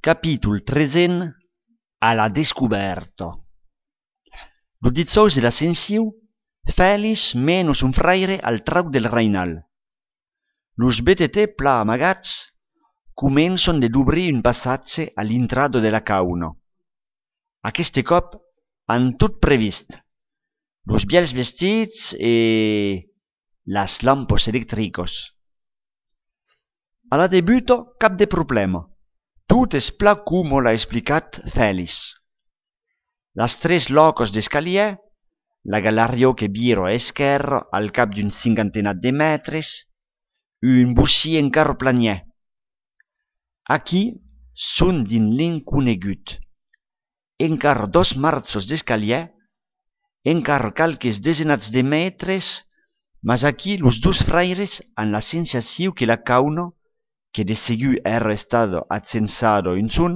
Capítol 13 a la descoberta. Lo dijous de l'ascensiu, Fèlix mena son fraire al trauc del reinal. Los BTT pla amagats començon de d'obrir un passatge a l'intrado de la cauna. Aqueste cop han tot previst. Los biels vestits e las lampos electricos. A la debuto cap de problema. Tot es pla como l'ha explicat Fèlix. Las tres locos d'escalier, la galeria que viro a esquerra al cap d'un cinquantenat de metres, un bossí encara planier. Aquí són din l'inconegut. Encara 2 marços d'escalier, encara calques desenats de metres, mas aquí los 2 fraires han la sensació que la cauna, que de segur era estado accensado un son,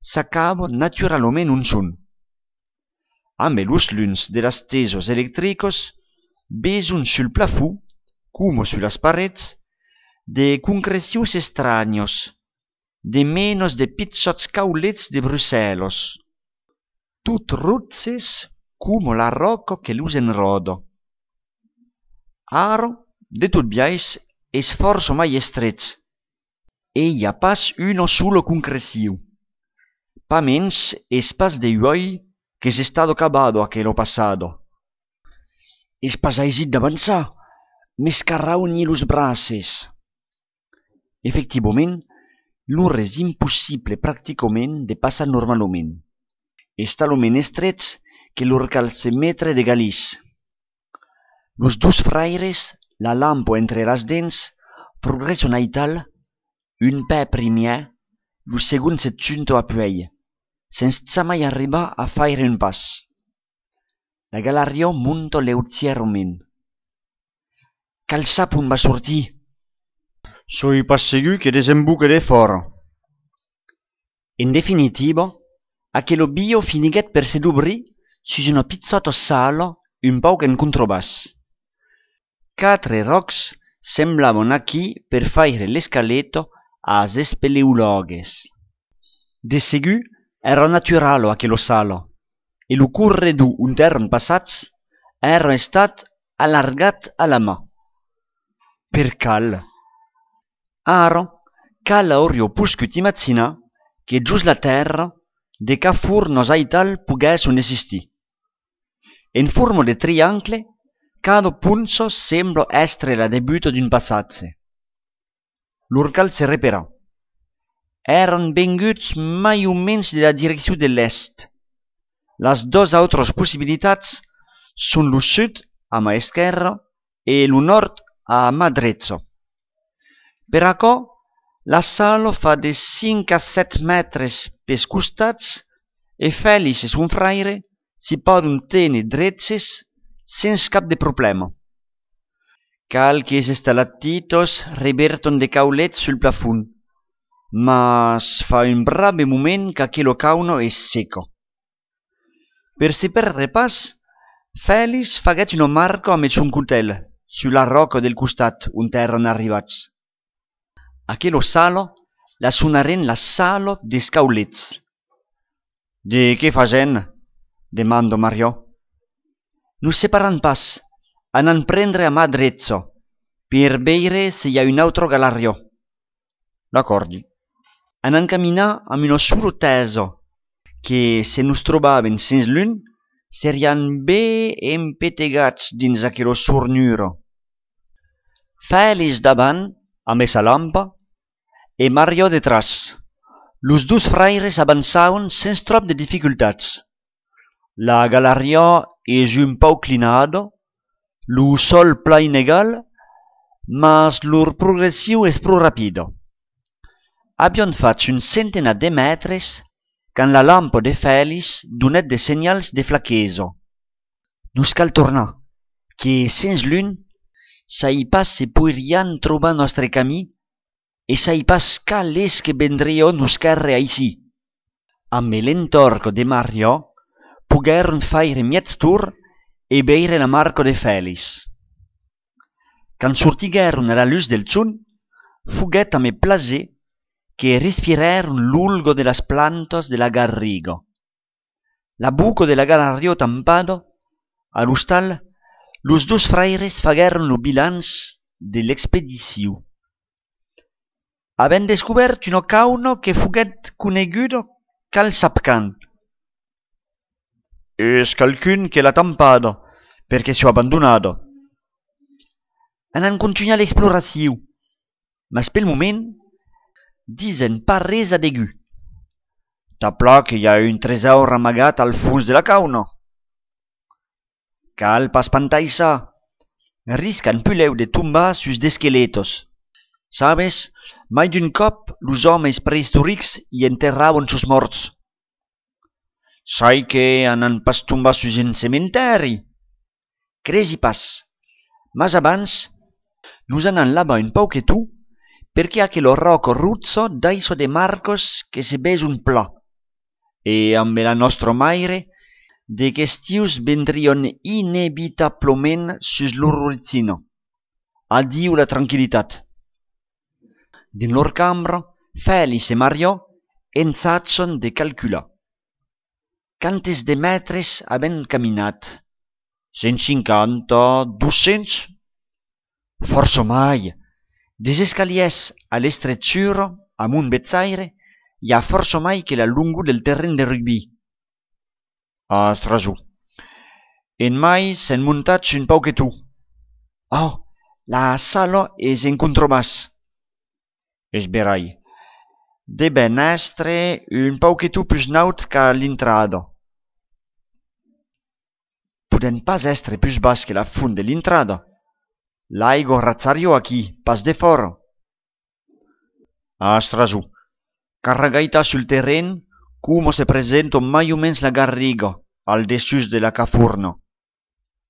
s'acaba naturalment un son. Amb los llums de las tesos eléctricos beson sul plafond, como sur las parets, de concrecions estranyos, de menos de pitzots caulets de Bruxelles, tot ruzes como la roca que los enroda. Ara, de tot biais, es força mai estrets, e hi ha pas una sola concreció. Pa mens es pas de uoi que s'è stato acabado aquello passado. Es pas aisit d'avançar, m'escarrauni los braces. Efectivament, lor és impossible pràcticament de passar normalment. És talment estrets que lor cal se metre de galís. Los 2 fraires, la lampo entre las dents, progresson aital, un pè primier, lo segon se junto apuei, sense mai arribar a faire un pas. La galeria munta leutierament. Cal sap on va sortir? Soi pas segur que desembucaré fora. En definitiva, aquello bio finiguet per se d'obrir sus una pizzota sala un pauc en contrabàs. 4 rocs semblaven aquí per faire l'escaleto as espeleologues. De segur era naturalo aquello sala, e lo corredor intern passats era estat allargat a la mà. Per cal? Ara, cal aurio puscut imaginar que just la terra, de ca fornos aital poguesson existir. En forma de triangle, cada punzo sembla estre la debuto d'un passatge. Lor cal se repera. Eran venguts mai o menys de la direcció de l'est. Las 2 autres possibilitats són lo sud a mà esquerra e lo nord a mà dreta. Per acá, la sala fa de 5 a 7 metres pels costats e Fèlix e son fraire si poden tenir dretes sense cap de problema. Calques estalactitos reverton de caulets sul plafond, mas fa un brave moment qu'aquello cauna és seca. Per se perdre pas, Fèlix faguet una marca amb son cutel sulla roca del costat on eran arribats. Aquello sala la sonaren la sala des caulets. De què fasen? Demando Mariò. Nos separan pas, anan prendre a mà dreta, per veire se hi ha un altre galeria. D'accordi. Anan caminar amb una sola tesa, que se nos trobaven sens l'un, serian bé empetegats dins aquella sornura. Fèlix davant, amb sa lampa, e Mariò detrás. Los 2 fraires avançaven sense trop de dificultats. La galeria és un pau clinada, lo sol pla inegal, mas lor progressió és prou rapida. Avion fatto un centenat de metres quand la lampa de Fèlix donet de senyals de flaquesa. Nos cal tornar, que sens l'un, s'hi pas se podrien trobar nostre camí e s'hi pas cal és que vendria nos carre aicí. Amb l'entorc de Mariò, pogueren faire miez tour e veire la marca de Fèlix. Quand sortigueren a la luz del sun, foguet a me plaser que respiraron l'ulgo de las plantas de la garriga. La buco de la garrario tampado, al hostal, los dos fraires fagueren lo bilanç de l'expedició. Havent descobert una cauna que foguet coneguda cal sapcan. És calcun que l'ha tampada, perquè s'ho abandonada. Han continuat l'exploració, mas pel moment disen pas res adegu. T'ha pla que hi ha un tresor amagat al fons de la cauna. Cal pas espantar-se, riscan puleu de tombar sus d'esqueletos. Sabes, mai d'un cop los homes prehistòrics hi enterraven sus morts. Sai que han pas tombat sus un cementeri. Cresi pas, mas abans nos anan laba un pauquetu perché aquello roco ruzzo daiso de marcos che se bes un pla. E amb la nostra maire, de questius vendrion inevitablement sus l'orricino. Addiu la tranquillitat. Din lor cambra, Félix e Mario ensatson de calcular. Quantes de metres haben caminat? 150, 200? Força mai. Des escaliers a l'estretxura, amunt bezzaire, hi ha força mai que la lungo del terreny de rugby. Astrasu. En mai s'han muntat un pauquetu. Oh, la sala és en controbàs. És verai. Deben estre un pauquetu plus naut ca l'intrada. Puden pas estre plus bas que la fund de l'intrada. L'aigua razzario aquí, pas de fora. Astrasu. Carregaita sul terreny, come se presenta mai o mens la garriga al dessus de la cafurna.